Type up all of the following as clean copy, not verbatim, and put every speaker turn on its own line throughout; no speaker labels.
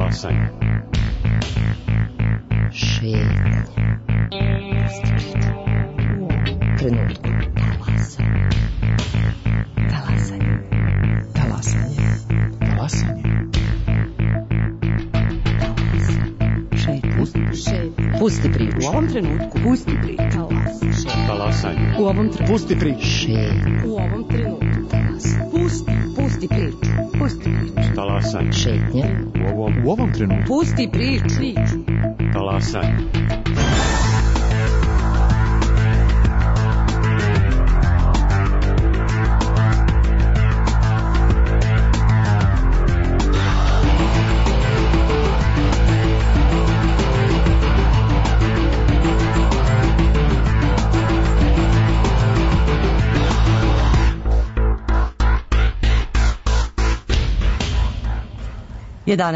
Talasanje.
Šetnja. Trenutku. Talasanje. Talasanje. Talasanje. Pusti priču.
U ovom trenutku. Pusti priču.
Talasanje.
U ovom trenutku.
Pusti priču.
U ovom trenutku. Pusti priču. Pusti priču.
Talasanje.
Šetnja.
U ovom trenutku.
Pusti priču.
Talasanje.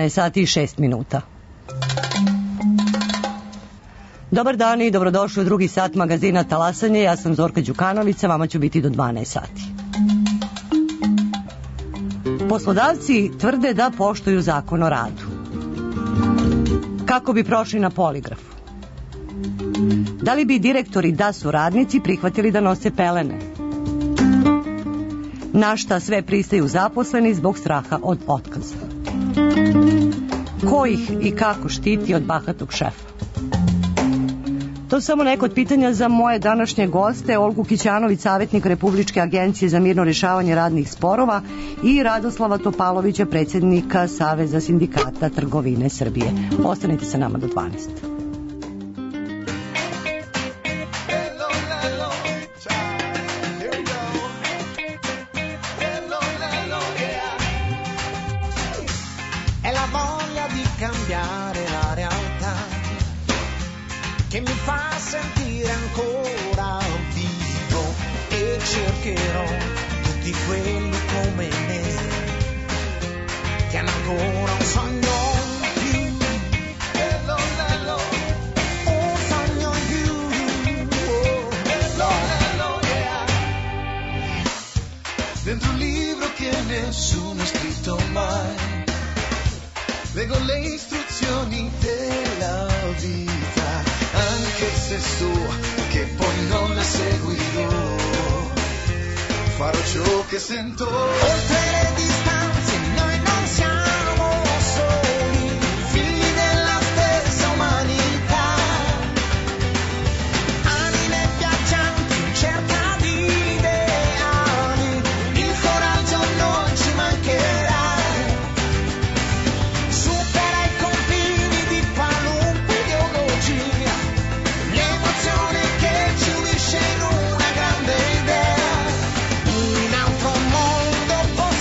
Sati i 6 minuta. Dobar dan i dobrodošli u drugi sat magazina Talasanje. Ja sam Zorka Đukanović, vama ću biti do 12 sati. Poslodavci tvrde da poštuju zakon o radu. Kako bi prošli na poligrafu? Da li bi direktori da su radnici prihvatili da nose pelene? Na šta sve pristaju zaposleni zbog straha od otkaza? Ko ih i kako štiti od bahatog šefa? To je samo neko od pitanja za moje današnje goste, Olgu Kićanović, savjetnik Republičke agencije za mirno rješavanje radnih sporova, i Radoslava Topalovića, predsjednika Saveza sindikata trgovine Srbije. Ostanite sa nama do 12.
Che mi fa sentire ancora vivo e cercherò tutti quelli come me che hanno ancora un sogno in più. Hello, hello, un sogno in più. Hello, hello, yeah. Dentro un libro che nessuno ha scritto mai, leggo le istruzioni della vita, anche se so che poi non le seguirò, farò ciò che sento. Oltre le distanze noi non siamo soli, figli della stessa umanità, anime viaggianti in cerca di ideali, il coraggio non ci mancherà. Supera i confini di qualunque ideologia, l'emozione che ci unisce in una grande idea, un altro mondo possibile.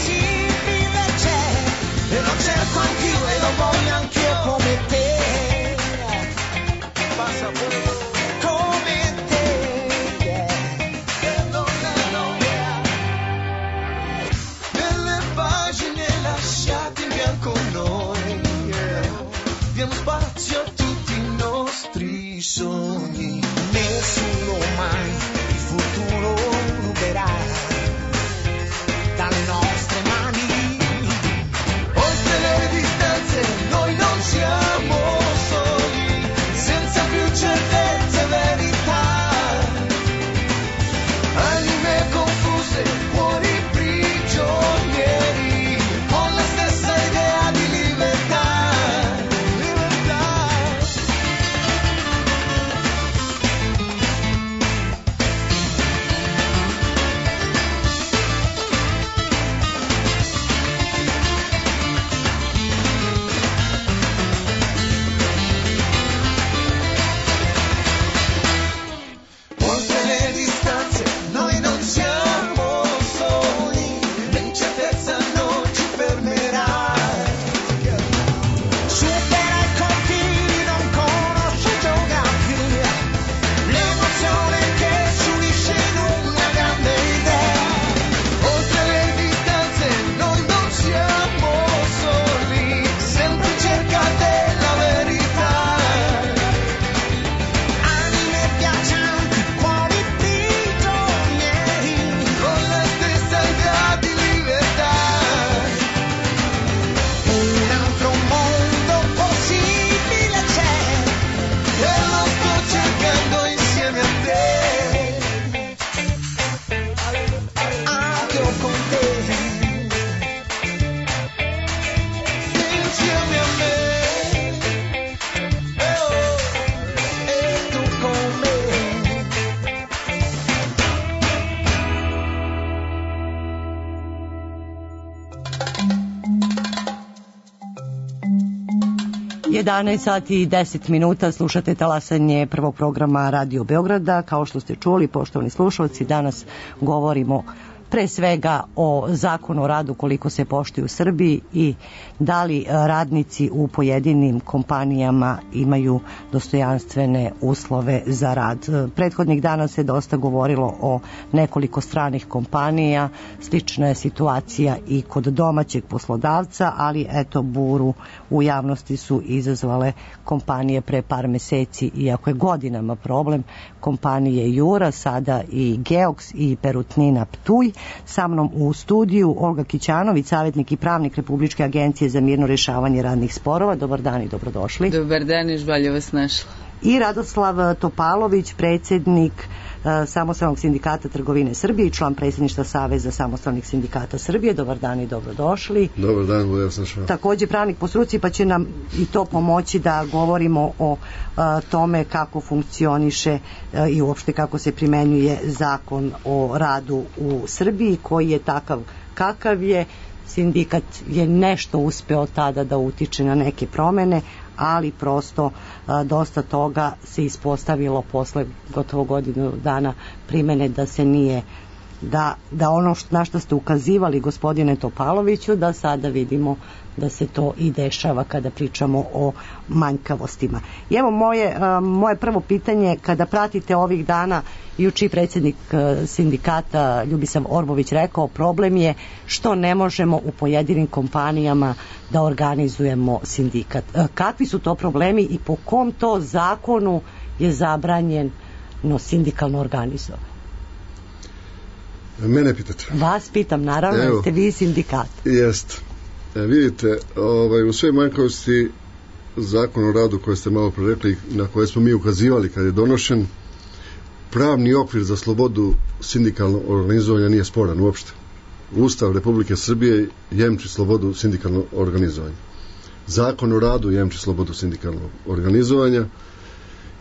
11 sati i 10 minuta, slušate talasanje prvog programa Radio Beograda. Kao što ste čuli, poštovani slušalci, danas govorimo pre svega o zakonu o radu, koliko se poštuje u Srbiji i da li radnici u pojedinim kompanijama imaju dostojanstvene uslove za rad. Prethodnih dana se dosta govorilo o nekoliko stranih kompanija, slična je situacija i kod domaćeg poslodavca, ali eto, buru u javnosti su izazvale kompanije pre par meseci, iako je godinama problem, kompanije Jura, sada i Geoks i Perutnina Ptuj. Sa mnom u studiju Olga Kićanović, savjetnik i pravnik Republičke agencije za mirno rješavanje radnih sporova. Dobar dan i dobrodošli.
Dobar dan i žvalje vas našla.
I Radoslav Topalović, predsjednik Samostalnog sindikata trgovine Srbije i član predsjedništva Saveza samostalnih sindikata Srbije. Dobar dan i dobrodošli.
Dobar dan, ja sam šao.
Također pravnik po struci, pa će nam i to pomoći da govorimo o tome kako funkcioniše i uopšte kako se primenjuje zakon o radu u Srbiji, koji je takav kakav je. Sindikat je nešto uspeo tada da utiče na neke promene, ali prosto dosta toga se ispostavilo posle gotovo godinu dana primene da se nije, da ono na što ste ukazivali, gospodine Topaloviću, da sada vidimo da se to i dešava kada pričamo o manjkavostima. I evo moje prvo pitanje, kada pratite ovih dana, juče predsjednik sindikata Ljubisav Orbović rekao, problem je što ne možemo u pojedinim kompanijama da organizujemo sindikat. Kakvi su to problemi i po kom to zakonu je zabranjeno sindikalno organizovanje?
Mene pitate?
Vas pitam, naravno, evo, ste vi sindikat.
Jest. Vidite, u sve manjkavosti zakon o radu koje ste malo prerekli, na koje smo mi ukazivali kad je donošen, pravni okvir za slobodu sindikalnog organizovanja nije sporan uopšte. Ustav Republike Srbije jemči slobodu sindikalnog organizovanja. Zakon o radu jemči slobodu sindikalnog organizovanja.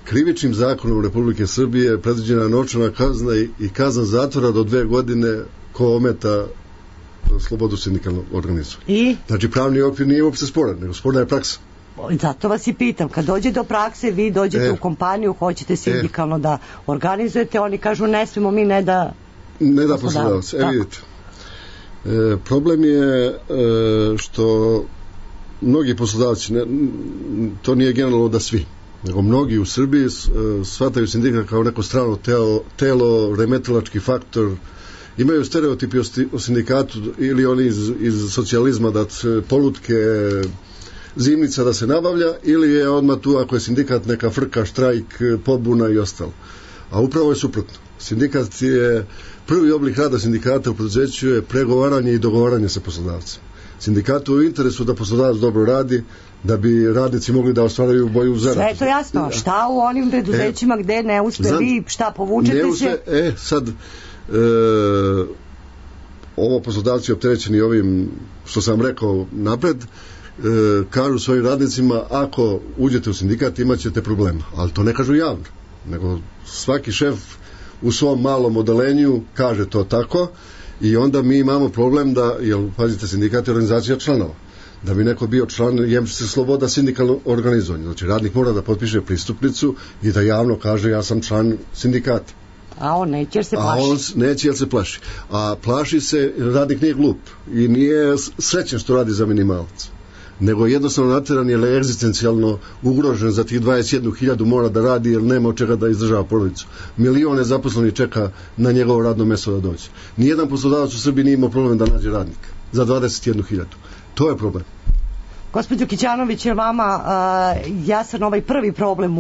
Krivičnim zakonom Republike Srbije je predviđena novčana kazna i kazna zatvora do 2 godine ko ometa slobodu sindikalnog organizovanja.
I?
Znači, pravni okvir nije uopšte sporan, nego sporna je praksa.
Zato vas i pitam, kad dođe do prakse, vi dođete u kompaniju, hoćete sindikalno da organizujete, oni kažu ne smemo mi, ne da
poslodavac. Vidite, problem je što mnogi poslodavci, to nije generalno da svi, nego mnogi u Srbiji shvataju sindikat kao neko strano telo, remetilački faktor, imaju stereotipi o sindikatu ili oni iz socijalizma da polutke, zimnica da se nabavlja, ili je odmah tu ako je sindikat neka frka, štrajk, pobuna i ostalo. A upravo je suprotno. Sindikat je, prvi oblik rada sindikata u preduzeću je pregovaranje i dogovaranje sa poslodavcem. Sindikatu je u interesu da poslodavac dobro radi, da bi radnici mogli da ostvaraju bolju zaradu.
Sve je to jasno. Šta u onim preduzećima gde ne uspe vi, šta povučete se?
Sad, ovo poslodavci opterećeni ovim što sam rekao napred, kažu svojim radnicima, ako uđete u sindikat imat ćete problema, ali to ne kažu javno, nego svaki šef u svom malom odelenju kaže to tako i onda mi imamo problem da, jer pazite, sindikat je organizacija članova, da bi neko bio član, jemči se sloboda sindikalnog organizovanja, znači radnik mora da potpiše pristupnicu i da javno kaže ja sam član sindikata.
A on neće jer se plaši.
A on neće jer se plaši. A plaši se, radnik nije glup i nije srećen što radi za minimalac, nego jednostavno nateran je egzistencijalno ugrožen, za tih 21.000 mora da radi jer nema od čega da izdržava porodicu. Milione zaposlenih čeka na njegovo radno mesto da dođe. Nijedan poslodavac u Srbiji nije imao problem da nađe radnika za 21.000. To je problem.
Gospođo Kićanović, je vama jasan ovaj prvi problem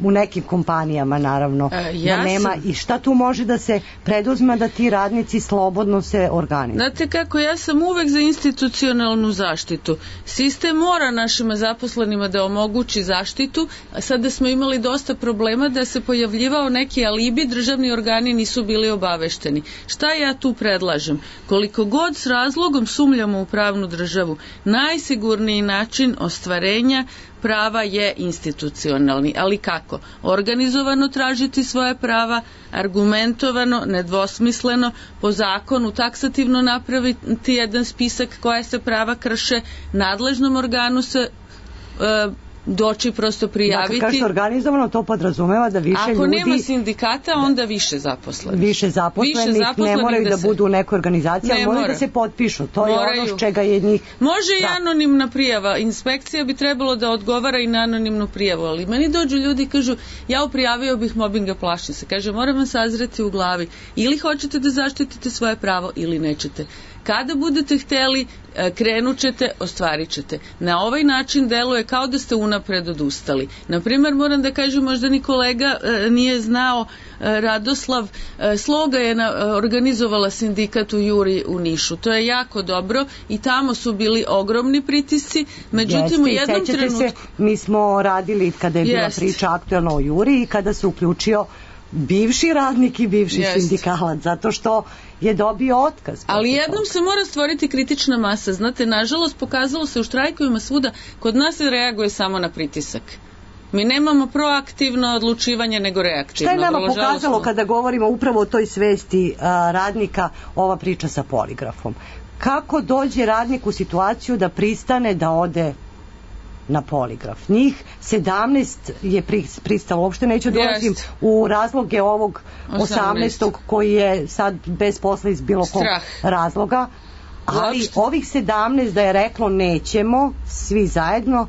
u nekim kompanijama, naravno, da nema, i šta tu može da se preduzme da ti radnici slobodno se organizuju?
Znate kako, ja sam uvek za institucionalnu zaštitu. Sistem mora našima zaposlenima da omogući zaštitu, a sada smo imali dosta problema da se pojavljivao neki alibi, državni organi nisu bili obavešteni. Šta ja tu predlažem? Koliko god s razlogom sumljamo u pravnu državu, najsigurniji način ostvarenja prava je institucionalni. Ali kako? Organizovano tražiti svoje prava, argumentovano, nedvosmisleno, po zakonu taksativno napraviti jedan spisak koja se prava krše, nadležnom organu se doći prosto prijaviti.
Dakle, kažete organizovano, to podrazumeva da više
Ako
ljudi...
Ako nema sindikata, onda više zaposlenih.
Više zaposlenih ne moraju da budu u nekoj organizaciji, ali moraju da se potpišu. To je ono čega je njih...
Može i anonimna prijava. Inspekcija bi trebalo da odgovara i na anonimnu prijavu, ali meni dođu ljudi i kažu, ja prijavio bih mobinga, plašim se. Kaže, moram vam sazreti u glavi. Ili hoćete da zaštitite svoje pravo ili nećete. Kada budete hteli, krenut ćete, ostvarit ćete. Na ovaj način deluje kao da ste unapred odustali. Naprimjer, moram da kažem, možda ni kolega nije znao, Radoslav Sloga je organizovala sindikat u Juri u Nišu. To je jako dobro i tamo su bili ogromni pritisci. Međutim, u jednom trenutku...
Mi smo radili kada je bila priča aktuelno o Juri i kada se uključio bivši radnik i bivši sindikalac, zato što je dobio otkaz.
Ali jednom se mora stvoriti kritična masa. Znate, nažalost, pokazalo se u štrajkovima svuda, kod nas se reaguje samo na pritisak. Mi nemamo proaktivno odlučivanje, nego reaktivno.
Šta je nama pokazalo kada govorimo upravo o toj svesti radnika, ova priča sa poligrafom? Kako dođe radnik u situaciju da pristane da ode na poligraf? Njih 17 je pristalo, uopšte neću dolazim u razloge ovog 18. koji je sad bez posla iz bilo kog razloga, ali ovih 17 da je reklo nećemo svi zajedno,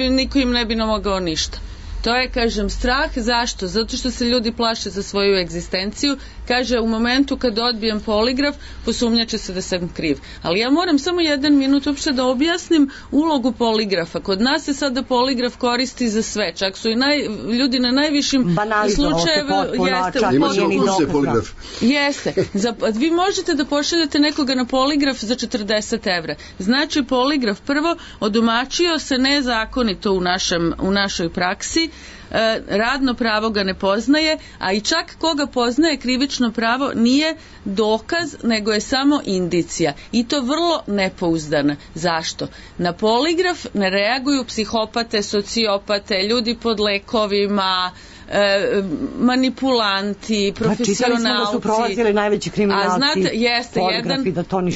niko im ne bi mogao ništa. To je, kažem, strah. Zašto? Zato što se ljudi plaše za svoju egzistenciju. Kaže, u momentu kad odbijem poligraf, posumnjaće se da sam kriv. Ali ja moram samo 1 minut uopšte da objasnim ulogu poligrafa. Kod nas se sada poligraf koristi za sve. Čak su i ljudi na najvišim slučajevima... Jeste. Vi možete da pošaljete nekoga na poligraf za 40 evra. Znači, poligraf prvo odomačio se nezakonito u našoj praksi. Radno pravo ga ne poznaje, a i čak koga poznaje krivično pravo nije dokaz, nego je samo indicija. I to vrlo nepouzdana. Zašto? Na poligraf ne reaguju psihopate, sociopate, ljudi pod lekovima, manipulanti, profesionalci.
Čitali smo da su prolazili najveći kriminalci.
A znate, jeste,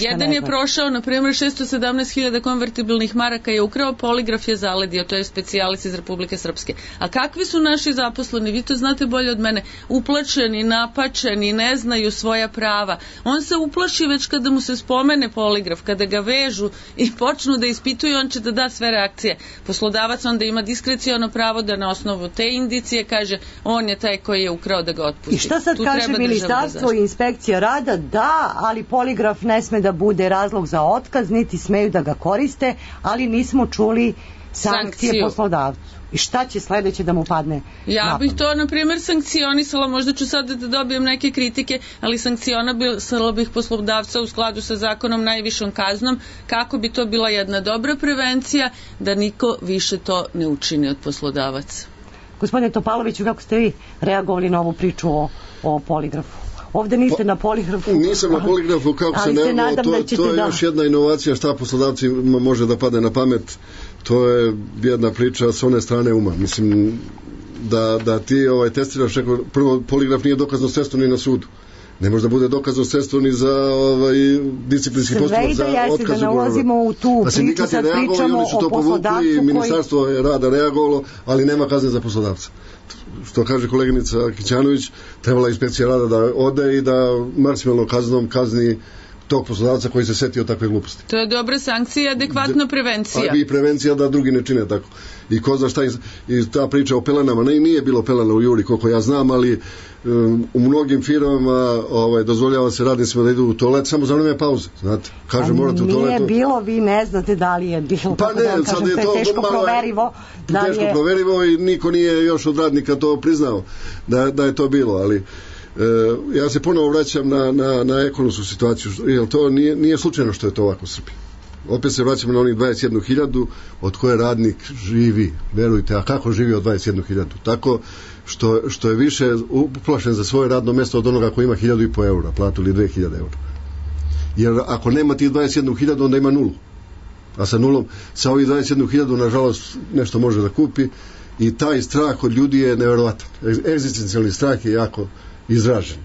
jedan je prošao, na primjer, 617.000 konvertibilnih maraka je ukrao, poligraf je zaledio, to je specijalis iz Republike Srpske. A kakvi su naši zaposleni? Vi to znate bolje od mene. Uplačeni, napačeni, ne znaju svoja prava. On se uplaši već kada mu se spomene poligraf, kada ga vežu i počnu da ispituju, on će da da sve reakcije. Poslodavac onda ima diskreciono pravo da na osnovu te indicije kaže on je taj koji je ukrao, da ga otpusti.
I šta sad kaže ministarstvo i inspekcija rada? Da, ali poligraf ne sme da bude razlog za otkaz, niti smeju da ga koriste, ali nismo čuli sankcije poslodavcu. I šta će sledeće da mu padne?
Ja bih to, na primjer, sankcionisala, možda ću sad da dobijem neke kritike, ali sankcionisala bih poslodavca u skladu sa zakonom najvišom kaznom, kako bi to bila jedna dobra prevencija, da niko više to ne učini od poslodavaca.
Gospodine Topaloviću, kako ste vi reagovali na ovu priču o poligrafu? Ovde niste na poligrafu.
Nisam na poligrafu, kako se ne, to je još jedna inovacija šta poslodavcima može da pade na pamet. To je jedna priča s one strane uma. Mislim da ti testiraš, prvo poligraf nije dokazno sredstvo ni na sudu. Ne može da bude dokazno sredstvo ni za disciplinski postupak za otkaz ugovora. Da sindikat je reagovao i oni su to povukli i ministarstvo je rada reagovalo, ali nema kazne za poslodavca. Što kaže koleginica Kićanović, trebala inspekcija rada da ode i da maksimalno kaznom kazni tog poslodavca koji se setio takve gluposti.
To je dobra sankcija, adekvatna prevencija.
I prevencija da drugi ne čine tako. I ko zna šta i ta priča o pelenama, nije bilo pelena u Juri koliko ja znam, ali u mnogim firmama dozvoljava se radnicima da idu u toalet samo za vreme pauze, znate. Kaže morate u toaletu.
Nije bilo, vi ne znate da li je bilo.
Pa ne, sad je to
teško proverivo.
Teško proverivo i niko nije još od radnika to priznao da je to bilo, ali ja se ponovo vraćam na ekonomsku situaciju, jer to nije slučajno što je to ovako u Srbiji. Opet se vraćamo na onih 21.000 od koje radnik živi, verujte, a kako živi od 21.000? Tako što je više uplašen za svoje radno mjesto od onoga koji ima 1.500 eura platu ili 2.000 eura. Jer ako nema tih 21.000 onda ima nulu. A sa nulom, sa ovih 21.000 nažalost nešto može da kupi i taj strah od ljudi je nevjerovatan. Egzistencijalni strah je jako izražen.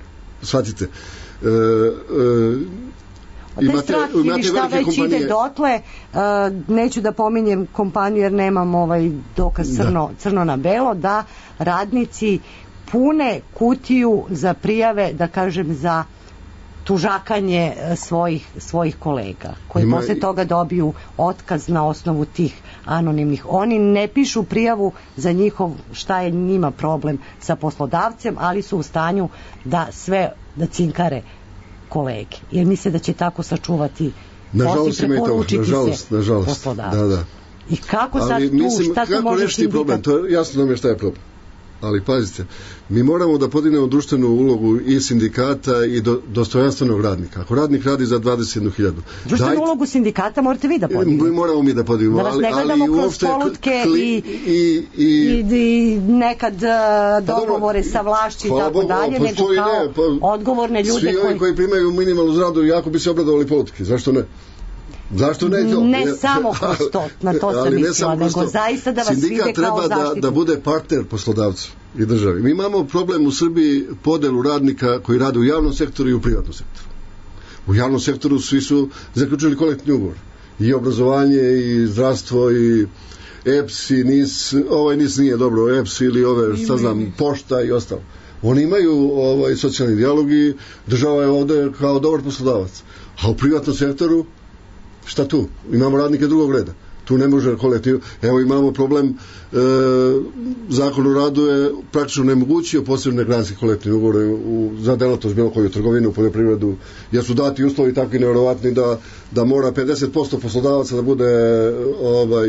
Shvatite.
taj strah ili šta već ide dotle, neću da pominjem kompaniju jer nemam dokaz crno na belo, da radnici pune kutiju za prijave, da kažem, za tužakanje svojih kolega, koji posle toga dobiju otkaz na osnovu tih anonimnih. Oni ne pišu prijavu za njihov, šta je njima problem sa poslodavcem, ali su u stanju da cinkare kolege, jer misle da će tako sačuvati posle, preporučiti se poslodavcu.
Da.
I kako sad šta se može
rešiti problem? To je jasno nam je šta je problem. Ali pazite, mi moramo da podignemo društvenu ulogu i sindikata i dostojanstvenog radnika. Ako radnik radi za 21.000...
Društvenu ulogu sindikata morate vi da podignemo.
Moramo mi da podignemo.
Da vas ne gledamo kroz polutke i nekad dogovore sa vlašću i tako dalje, nego kao odgovorne ljude
svi ovi koji primaju minimalnu zaradu jako bi se obradovali politike. Zašto ne? Zašto ne to?
Ne samo kroz to, na to sam mislila, nego zaista da vas vide kao zaštitu.
Sindikat treba da bude partner poslodavcu i državi. Mi imamo problem u Srbiji podelu radnika koji rade u javnom sektoru i u privatnom sektoru. U javnom sektoru svi su zaključili kolektivni ugovor. I obrazovanje, i zdravstvo, i EPS, i NIS, NIS nije dobro, EPS ili pošta i ostalo. Oni imaju socijalni dijalog i država je ovde kao dobar poslodavac. A u privatnom sektoru šta tu? Imamo radnike drugog reda. Tu ne može kolektiv. Evo imamo problem, Zakon o radu je praktično nemogućio posebne granske kolektivne ugovore za delatnost bilo koju trgovinu, poljoprivredu, jer su dati uslovi takvi nevjerovatni da mora 50% poslodavaca da bude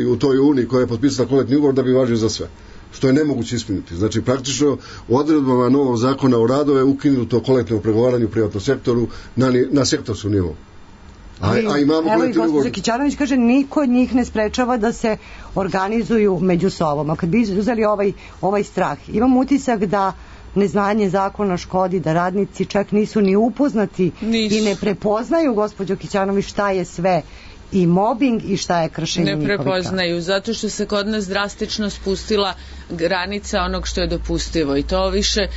u toj uniji koja je potpisala kolektivni ugovor da bi važio za sve. Što je nemoguće ispuniti. Znači, praktično, odredbama novog zakona o radu je ukinuto kolektivno pregovaranje u privatnom sektoru na sektorskom nivou.
Evo i gospođa Kićanović kaže, niko od njih ne sprečava da se organizuju među sobom. A kad bi uzeli ovaj strah, imam utisak da neznanje zakona škodi, da radnici čak nisu ni upoznati i ne prepoznaju, gospođo Kićanović, šta je sve i mobbing i šta je kršenje njihovih prava.
Ne prepoznaju, zato što se kod nas drastično spustila granica onog što je dopustivo i to više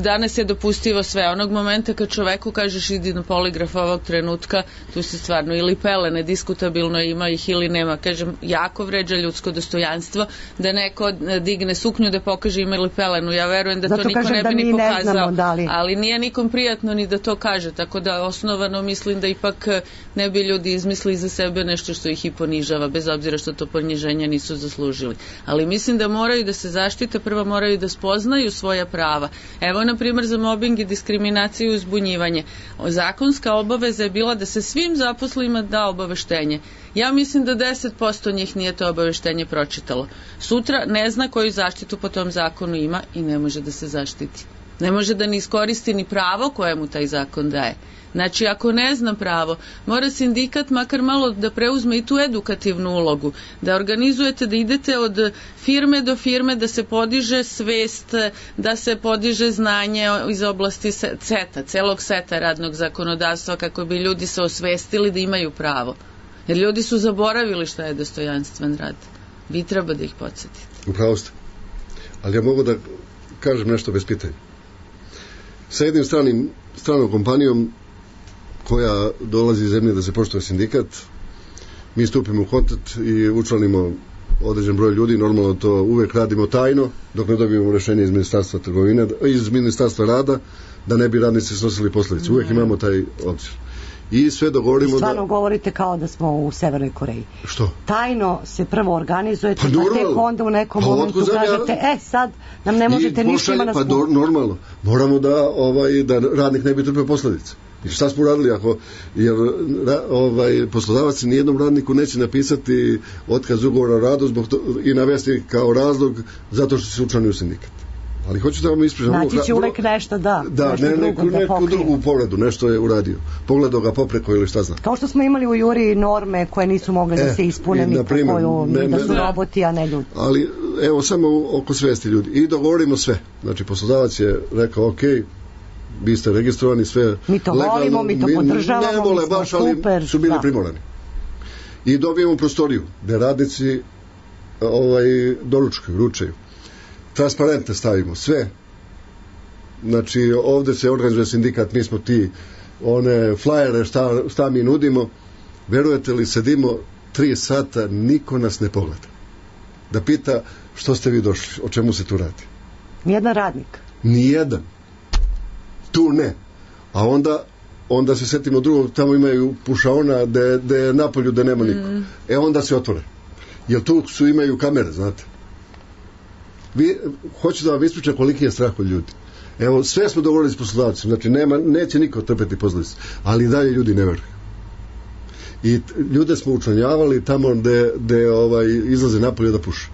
danas je dopustivo sve. Onog momenta kad čoveku kažeš idi na poligraf ovog trenutka, tu se stvarno ili pelene, diskutabilno ima ih ili nema. Kažem, jako vređa ljudsko dostojanstvo da neko digne suknju da pokaže ima ili pelenu. Ja verujem da zato to niko ne bi ni pokazao, ali nije nikom prijatno ni da to kaže, tako da osnovano mislim da ipak ne bi ljudi izmislili za sebe nešto što ih i ponižava, bez obzira što to poniženja nisu zaslužili. Ali mislim da moraju da se zaštite, prvo moraju da spoznaju svoja prava. Evo, na primjer, za mobbing i diskriminaciju i uzbunjivanje. Zakonska obaveza je bila da se svim zaposlenima da obaveštenje. Ja mislim da 10% njih nije to obaveštenje pročitalo. Sutra ne zna koju zaštitu po tom zakonu ima i ne može da se zaštiti. Ne može da ne iskoristi ni pravo koje mu taj zakon daje. Znači, ako ne zna pravo, mora sindikat makar malo da preuzme i tu edukativnu ulogu, da organizujete, da idete od firme do firme, da se podiže svest, da se podiže znanje iz oblasti celog seta radnog zakonodavstva, kako bi ljudi se osvestili da imaju pravo. Jer ljudi su zaboravili šta je dostojanstven rad. Vi treba da ih podsjetite.
Upravo ste. Ali ja mogu da kažem nešto bez pitanja. Sa jednim stranom kompanijom koja dolazi iz zemlje da se poštuje sindikat, mi stupimo u kontakt i učlanimo određen broj ljudi, normalno to uvek radimo tajno, dok ne dobijemo rešenje iz Ministarstva trgovine, iz Ministarstva rada, da ne bi radnici snosili posledice. Uvek imamo taj obzir. I sve dogovorimo
stvarno govorite kao da smo u Severnoj Koreji.
Što?
Tajno se prvo organizujete, pa tek onda u nekom momentu kažete, sad nam ne možete ništa, ima nas...
Pa normalno, moramo da radnik ne bi trpeo posledice. I šta smo uradili jer poslodavac nijednom radniku neće napisati otkaz ugovora o radu i navesti kao razlog zato što se učlanio u sindikat. Ali hoću da vam ispričam.
Naći će uvek nešto
neku drugu povredu, nešto je uradio. Pogledao ga popreko ili šta zna.
Kao što smo imali u Juri norme koje nisu mogle da se ispune da su roboti, a ne ljudi.
Ali evo samo oko svesti ljudi. I dogovorimo sve. Znači poslodavac je rekao vi ste registrovani, sve
mi to legalno, volimo, mi to podržavamo,
ne vole baš, super, ali su bili primorani. I dobijemo prostoriju gde radnici doručkuju, ručaju. Transparente stavimo, sve. Znači, ovde se organizuje sindikat, mi smo ti one flajere šta mi nudimo, verujete li, sedimo 3 sata, niko nas ne pogleda da pita što ste vi došli, o čemu se tu radi.
Nijedan radnik?
Nijedan. Tu ne. A onda se setimo drugog, tamo imaju pušaona da je napolju da nema niko. Onda se otvore. Jer tu imaju kamere, znate. Hoću da vam ispričam koliki je strah od ljudi. Evo, sve smo dogovorili s poslodavcima, znači neće niko trpeti posledice, ali dalje ljudi ne veruju. I ljude smo učlanjavali tamo gde izlaze napolje da puše.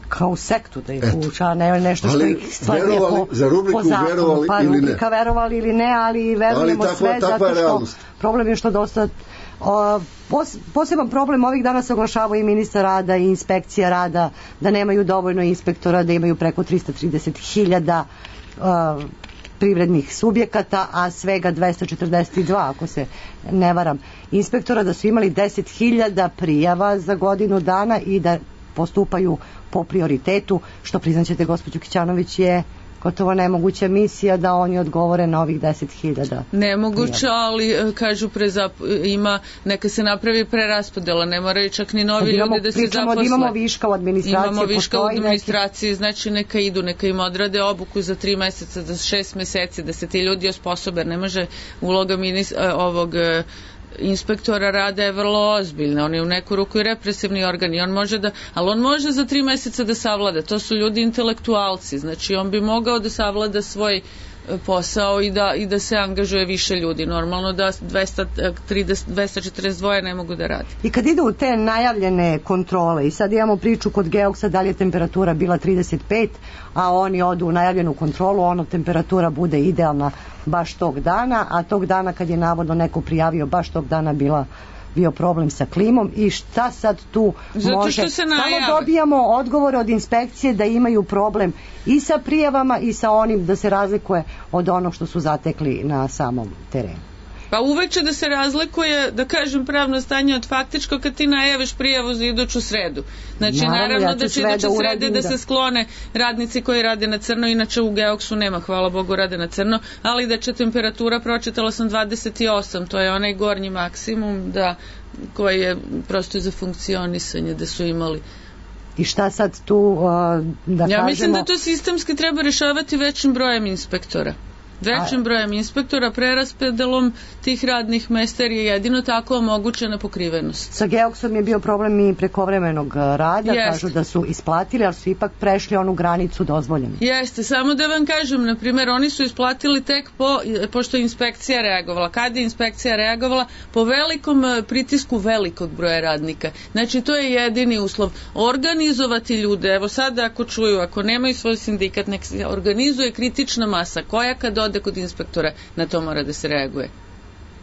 Kao u sektu da ih puša, ne nešto što ih stvarno
za rubriku verovali ili ne.
Rubrika verovali ili ne, ali verujemo sve, zato što problem je što dosta poseban problem ovih dana se oglašava i ministar rada i inspekcija rada, da nemaju dovoljno inspektora, da imaju preko 330.000 privrednih subjekata, a svega 242, ako se ne varam, inspektora, da su imali 10.000 prijava za godinu dana i da postupaju po prioritetu, što priznaćete, gospođo Kićanović, je gotovo nemoguća misija da oni odgovore na ovih 10.000.
Nemoguće, ali kažu neka se napravi preraspodela, ne moraju čak ni novi ljudi da se zaposle.
Imamo viška u administraciji.
Imamo viška u administraciji, znači neka idu, neka im odrade obuku za 3 meseca, za 6 meseci, da se ti ljudi osposobe. Ne može uloga ovog inspektora rada je vrlo ozbiljna, on je u neku ruku i represivni organ i ali on može za 3 meseca da savlada, to su ljudi intelektualci, znači on bi mogao da savlada svoj posao i da se angažuje više ljudi, normalno da 242 ne mogu da radi.
I kad idu u te najavljene kontrole, i sad imamo priču kod Geoksa da li je temperatura bila 35, a oni odu u najavljenu kontrolu, temperatura bude idealna baš tog dana, a tog dana kad je navodno neko prijavio, baš tog dana bio problem sa klimom, i šta sad tu može? Samo dobijamo odgovore od inspekcije da imaju problem i sa prijavama i sa onim, da se razlikuje od onog što su zatekli na samom terenu.
Pa uvek će da se razlikuje, da kažem, pravno stanje od faktičko kad ti najaviš prijavu za iduću sredu. Znači, naravno da će iduće srede da se sklone radnici koji rade na crno, inače u Geoksu nema, hvala Bogu, rade na crno, ali da će temperatura, pročitala sam 28, to je onaj gornji maksimum koji je prosto za funkcionisanje da su imali.
I šta sad tu da kažemo?
Ja mislim da to sistemski treba rešavati većim brojem inspektora. Većim brojem inspektora, preraspodelom tih radnih mesta, jer je jedino tako omogućena pokrivenost.
Sa Geoksom je bio problem i prekovremenog rada, kažu da su isplatili, ali su ipak prešli onu granicu dozvoljenu.
Jeste, samo da vam kažem, na primjer, oni su isplatili tek pošto je inspekcija reagovala. Kada je inspekcija reagovala? Po velikom pritisku velikog broja radnika. Znači, to je jedini uslov. Organizovati ljude, evo sada ako čuju, ako nemaju svoj sindikat, nek se organizuje kritična masa, koja kad ode kod inspektora, na to mora da se reaguje.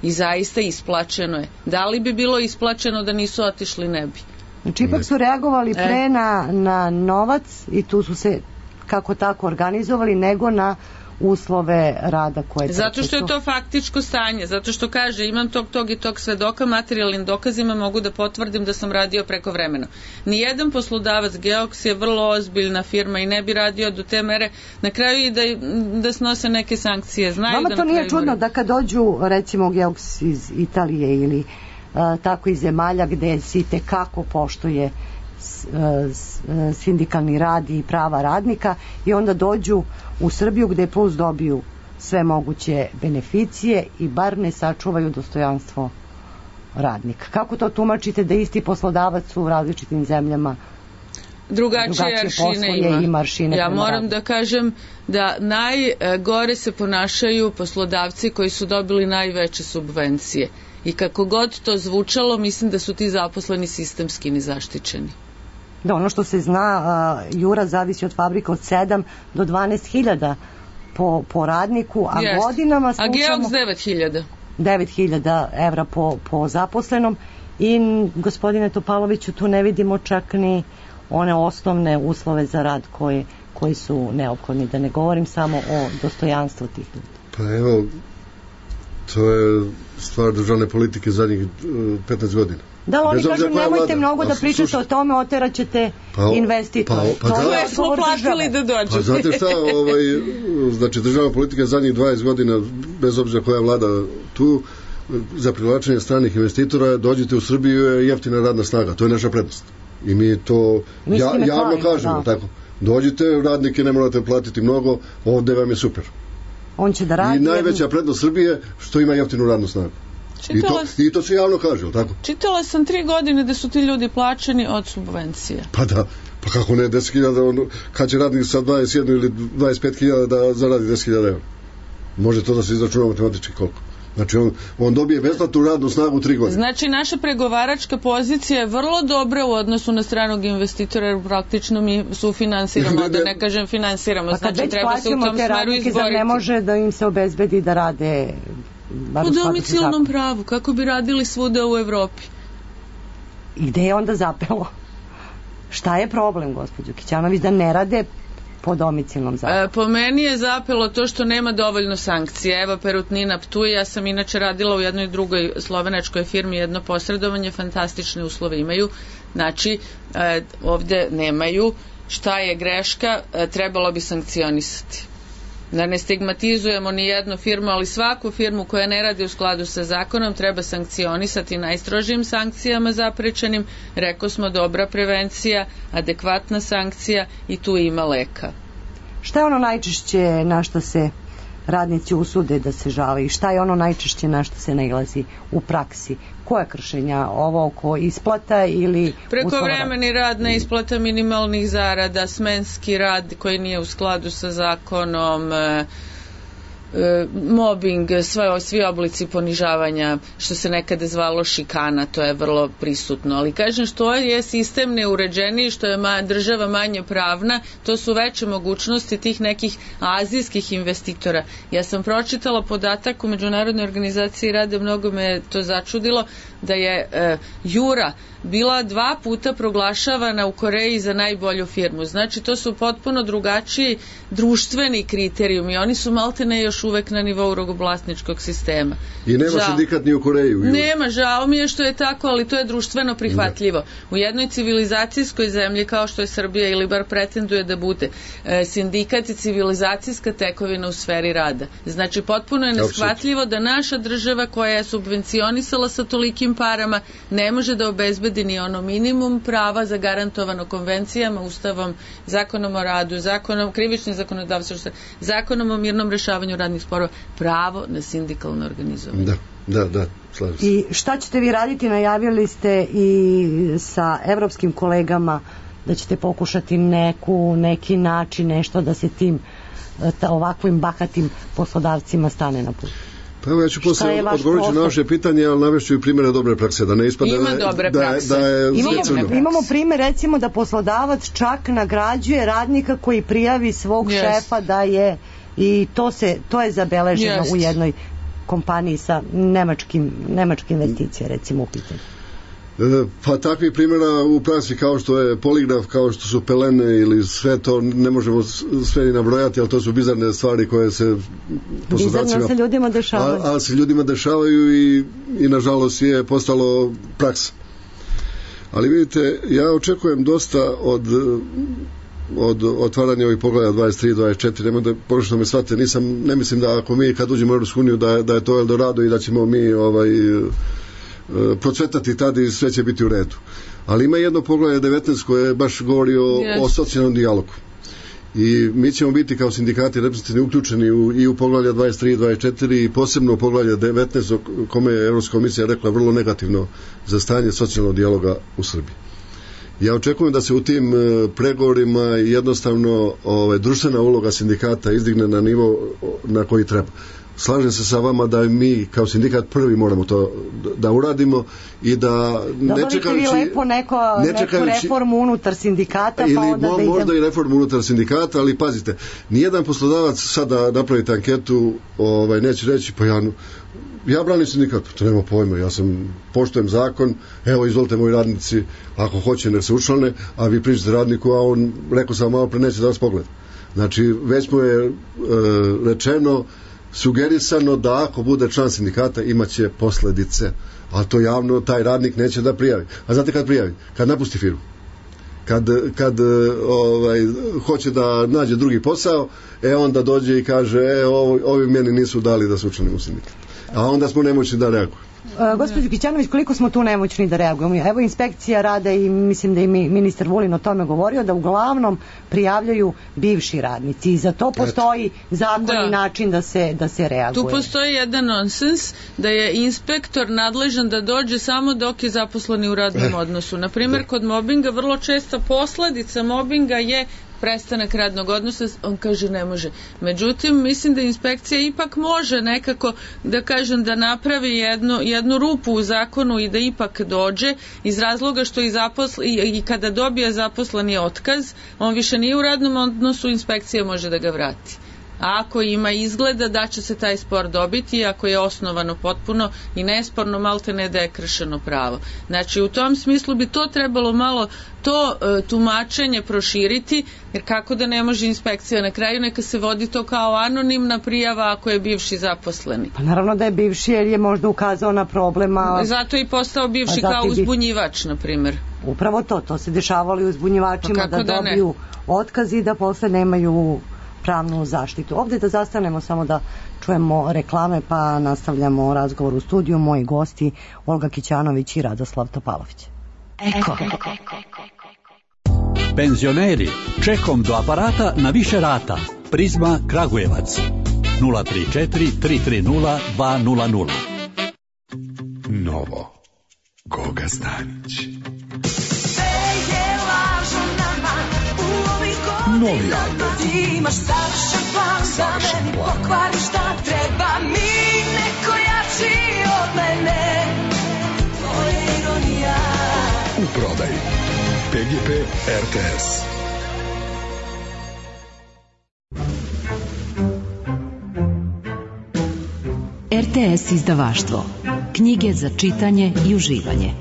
I zaista isplaćeno je. Da li bi bilo isplaćeno da nisu otišli, ne bi.
Znači, ipak su reagovali pre na novac i tu su se kako tako organizovali, nego na uslove rada koje
zato što je to faktičko stanje, zato što kaže imam tog i tog svedoka, materijalnim dokazima mogu da potvrdim da sam radio preko vremena. Nijedan poslodavac, Geoks je vrlo ozbiljna firma i ne bi radio do te mere, na kraju i da snose neke sankcije.
Vama to nije čudno da kad dođu recimo Geoks iz Italije ili tako iz zemalja gde se itekako poštuje sindikalni rad i prava radnika, i onda dođu u Srbiju gde plus dobiju sve moguće beneficije i bar ne sačuvaju dostojanstvo radnika. Kako to tumačite da isti poslodavac u različitim zemljama
drugačije aršine ima? Ja moram da kažem da najgore se ponašaju poslodavci koji su dobili najveće subvencije. I kako god to zvučalo, mislim da su ti zaposleni sistemski nezaštićeni.
Da, ono što se zna, Jura zavisi od fabrika od 7 do 12.000 po radniku, a godinama slušamo...
A Geoks 9.000.
9.000 evra po zaposlenom, i gospodine Topaloviću, tu ne vidimo čak ni one osnovne uslove za rad koji su neophodni, da ne govorim samo o dostojanstvu tih ljudi.
Pa evo, To je stvar državne politike zadnjih 15 godina.
Da, oni kažu nemojte mnogo da pričate o tome, oteraćete investitore.
To smo platili da dođete.
Pa znate šta, znači državna politika zadnjih 20 godina, bez obzira koja vlada tu, za privlačenje stranih investitora, dođite u Srbiju, je jeftina radna snaga, to je naša prednost. I mi to javno kažemo, tako. Dođite, radnike ne morate platiti mnogo, ovde vam je super.
On će da radi.
I najveća prednost Srbije što ima jeftinu radnu snagu. I to se javno kaže, tako?
Čitala sam 3 godine da su ti ljudi plaćeni od subvencija.
Pa da, pa kako ne, 10.000, kad će radnik sa 21 ili 25.000 da zaradi 10.000 evra? Može to da se izračuna matematički koliko? Znači on dobije besplatnu radnu snagu 3 godine.
Znači naša pregovaračka pozicija je vrlo dobra u odnosu na stranog investitora, jer praktično mi sufinansiramo, da ne kažem finansiramo.
Znači treba se u tom smeru izboriti. Zar ne može da im se obezbedi da rade
u domicilnom pravu, kako bi radili svuda u Evropi?
I gde je onda zapelo? Šta je problem, gospođo Kićanović, da ne rade po domicilnom zakonu?
Po meni je zapelo to što nema dovoljno sankcije. Evo Perutnina Ptuj, ja sam inače radila u jednoj drugoj slovenačkoj firmi, jedno posredovanje, fantastične uslove imaju. Znači, ovde nemaju. Šta je greška? Trebalo bi sankcionisati. Da ne stigmatizujemo ni jednu firmu, ali svaku firmu koja ne radi u skladu sa zakonom treba sankcionisati najstrožijim sankcijama zaprečenim. Rekao smo dobra prevencija, adekvatna sankcija i tu ima leka.
Šta je ono najčešće na što se radnici usude da se žale i šta je ono najčešće na što se nailazi u praksi? Koja kršenja? Ovo oko isplata ili
prekovremeni rad, neisplata minimalnih zarada, smenski rad koji nije u skladu sa zakonom, mobbing, svi oblici ponižavanja, što se nekada zvalo šikana, to je vrlo prisutno. Ali kažem, što je sistem neuređeniji, što je država manje pravna, to su veće mogućnosti tih nekih azijskih investitora. Ja sam pročitala podatak u Međunarodnoj organizaciji rada, mnogo me to začudilo, da je Jura bila 2 puta proglašavana u Koreji za najbolju firmu. Znači, to su potpuno drugačiji društveni kriterijumi. Oni su maltene još uvek na nivou robovlasničkog sistema.
I nema sindikat ni u Koreji.
Nema, žao mi je što je tako, ali to je društveno prihvatljivo. U jednoj civilizacijskoj zemlji kao što je Srbija, ili bar pretenduje da bude, sindikat je civilizacijska tekovina u sferi rada. Znači, potpuno je neshvatljivo da naša država koja je subvencionisala sa tolikim parama ne može da obezbedi ni ono minimum prava zagarantovano konvencijama, ustavom, zakonom o radu, krivičnim zakonodavstvom, zakonom o mirnom rešavanju radnih sporova, pravo na sindikalno organizovanje.
Da, slažem se.
I šta ćete vi raditi? Najavili ste i sa evropskim kolegama da ćete pokušati neki način, nešto da se tim ovakvim bahatim poslodavcima stane na put.
Pa evo, ja ću posle odgovoriti na vaše pitanje, ali navešću i primjere dobre prakse, da ne ispadne
Imamo primjer, recimo, da poslodavac čak nagrađuje radnika koji prijavi svog šefa da je, i to je zabeleženo u jednoj kompaniji sa nemačke investicije, recimo, u pitanju.
Pa takvih primjera u praksi kao što je poligraf, kao što su pelene ili sve to, ne možemo sve ni nabrojati, ali to su bizarne stvari koje se poslodavcima...
Bizarno se ljudima dešavaju.
Ali se ljudima dešavaju i nažalost je postalo praksa. Ali vidite, ja očekujem dosta od otvaranja ovih poglavlja 23, 24, nema da pogrešno me shvate, ne mislim da ako mi kad uđemo u Europsku uniju da je to Eldorado i da ćemo mi procvetati tada i sve će biti u redu. Ali ima jedno poglavlje 19 koje baš govori o socijalnom dijalogu. I mi ćemo biti kao sindikati reprezentativni uključeni i u poglavlja 23 i 24 i posebno u poglavlje 19 o kome je Evropska komisija rekla vrlo negativno za stanje socijalnog dijaloga u Srbiji. Ja očekujem da se u tim pregovorima jednostavno društvena uloga sindikata izdigne na nivo na koji treba. Slažem se sa vama da mi kao sindikat prvi moramo to da uradimo i da
ne čekajući... vi lepo neku reformu unutar sindikata, pa onda da idem...
Možda i reformu unutar sindikata, ali pazite, nijedan poslodavac sada napravite anketu, neće reći, pa ja branim sindikat, to nema pojma, ja poštujem zakon, evo izvolite moji radnici, ako hoće nek se učlane, a vi pričate radniku, a on, rekao sam malo pre, neće da vas pogleda. Znači, već mu je rečeno sugerisano da ako bude član sindikata imaće posledice, a to javno taj radnik neće da prijavi. A znate kad prijavi? Kad napusti firmu. Kad hoće da nađe drugi posao, onda dođe i kaže ovi meni nisu dali da se učlanim u sindikat. A onda smo nemoćni da reagujemo.
Gospođo Kićanović, koliko smo tu nemoćni da reagujemo? Evo, inspekcija rada i mislim da i ministar Vulin o tome govorio, da uglavnom prijavljaju bivši radnici i za to postoji zakon i način da se reaguje.
Tu postoji jedan nonsens da je inspektor nadležan da dođe samo dok je zaposleni u radnom odnosu. Naprimjer, kod mobinga vrlo česta posledica mobinga je prestanak radnog odnosa, on kaže ne može. Međutim, mislim da inspekcija ipak može nekako, da kažem, da napravi jednu rupu u zakonu i da ipak dođe, iz razloga što i kada dobije zaposleni otkaz, on više nije u radnom odnosu, inspekcija može da ga vrati. A ako ima izgleda da će se taj spor dobiti, ako je osnovano potpuno i nesporno, malte ne da je kršeno pravo. Znači, u tom smislu bi to trebalo malo to tumačenje proširiti, jer kako da ne može inspekcija na kraju, neka se vodi to kao anonimna prijava ako je bivši zaposleni.
Pa naravno da je bivši, jer je možda ukazao na problema.
Zato je i postao bivši kao uzbunjivač, na primjer.
Upravo to se dešavalo i uzbunjivačima, da dobiju otkaz i da posle nemaju pravnu zaštitu. Ovdje da zastanemo, samo da čujemo reklame, pa nastavljamo razgovor u studiju. Moji gosti Olga Kićanović i Radoslav Topalović.
Eko.
Penzioneri, čekom do aparata na više rata. Prizma Kragujevac 034 330 200.
Novo Goga Stanić. Novi album.
Imaš savršen plan da meni pokvariš šta treba mi, neko jači od mene. Tvoja ironija.
U prodaji PGP RTS.
RTS izdavaštvo. Knjige za čitanje i uživanje.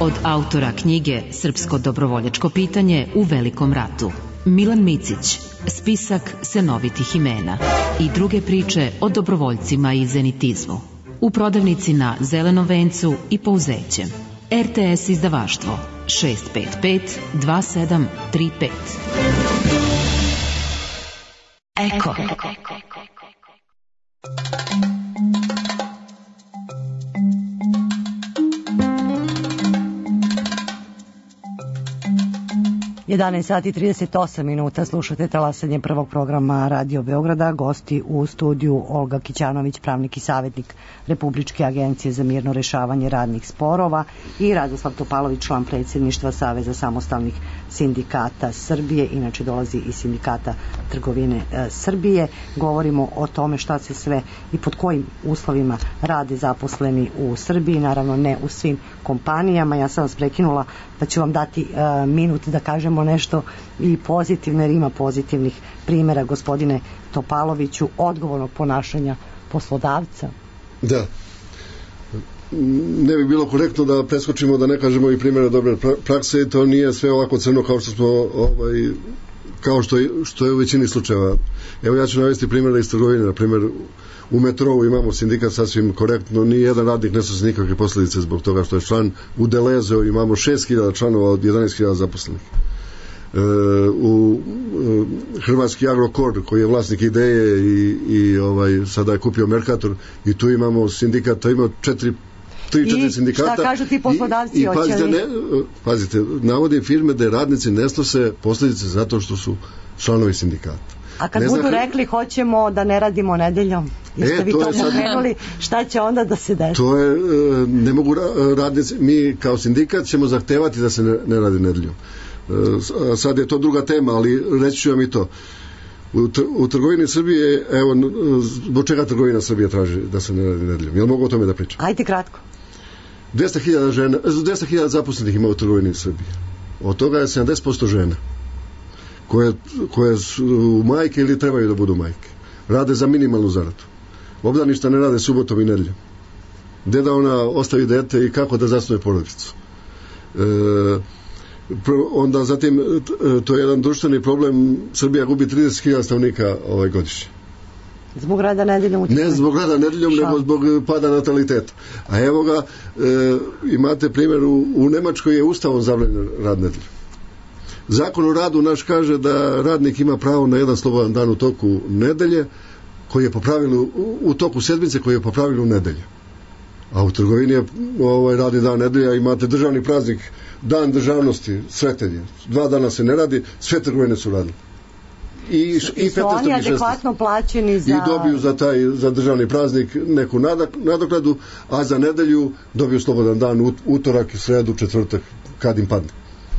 Od autora knjige Srpsko dobrovoljačko pitanje u Velikom ratu, Milan Micić, spisak senovitih imena i druge priče o dobrovoljcima i zenitizmu. U prodavnici na Zelenom vencu i Pouzećem. RTS izdavaštvo 655 2735. Eko.
11 sati 38 minuta, slušate talasanje prvog programa Radio Beograda. Gosti u studiju Olga Kićanović, pravnik i savjetnik Republičke agencije za mirno rešavanje radnih sporova, i Radoslav Topalović, član predsjedništva Saveza samostalnih sindikata Srbije, inače dolazi iz Sindikata trgovine Srbije. Govorimo o tome šta se sve i pod kojim uslovima rade zaposleni u Srbiji, naravno ne u svim kompanijama. Ja sam vas prekinula pa ću vam dati minut da kažemo nešto i pozitivno, jer ima pozitivnih primjera, gospodine Topaloviću, odgovornog ponašanja poslodavca.
Da. Ne bi bilo korektno da preskočimo, da ne kažemo i primjere dobre prakse. To nije sve ovako crno kao što smo kao što je u većini slučajeva. Evo, ja ću navesti primjere iz trgovine. Na primjer, u metrou imamo sindikat sasvim korektno, ni jedan radnik ne snosi nikakve posljedice zbog toga što je član. U Delezeu imamo 6.000 članova od 11.000 zaposlenih. U Hrvatski Agrokor, koji je vlasnik Ideje i sada je kupio Mercator, i tu imamo sindikat, to ima 3-4 sindikata.
I šta kažu ti poslodavci?
Pazite, navodim firme da radnici ne snose posljedice zato što su članovi sindikata.
A kad budu rekli hoćemo da ne radimo nedeljom, jeste vi to pomenuli, šta će onda da se desi?
To je, ne mogu radnici, mi kao sindikat ćemo zahtevati da se ne radi nedeljom. Sad je to druga tema, ali reći ću vam i to. U trgovini Srbije, evo, zbog čega trgovina Srbije traži da se ne radi nedeljom? Jel mogu o tome da pričam?
Ajde kratko.
200.000 zaposlenih ima u trgovini Srbije. Od toga je 70% žena koje su majke ili trebaju da budu majke. Rade za minimalnu zaradu. Obdaništa ne rade subotom i nedeljom. Gde da ona ostavi dete i kako da zasnuje porodicu. Onda zatim, to je jedan društveni problem. Srbija gubi 30.000 stanovnika godišnje.
Zbog rada nedeljom?
Ne zbog rada nedeljom, nego zbog pada nataliteta. A evo ga, imate primjer, u Nemačkoj je ustavom zabranjen rad nedeljom. Zakon o radu naš kaže da radnik ima pravo na jedan slobodan dan u toku nedelje, koji je po pravilu, u toku sedmice, koji je po pravilu nedelje. A u trgovini je radi dan nedelja, imate državni praznik, dan državnosti, Sretenje. 2 dana se ne radi, sve trgovine su radile. I
su
15.
oni adekvatno plaćeni za...
I dobiju za državni praznik neku nadoknadu, a za nedelju dobiju slobodan dan, utorak, sredu, četvrtak, kad im padne.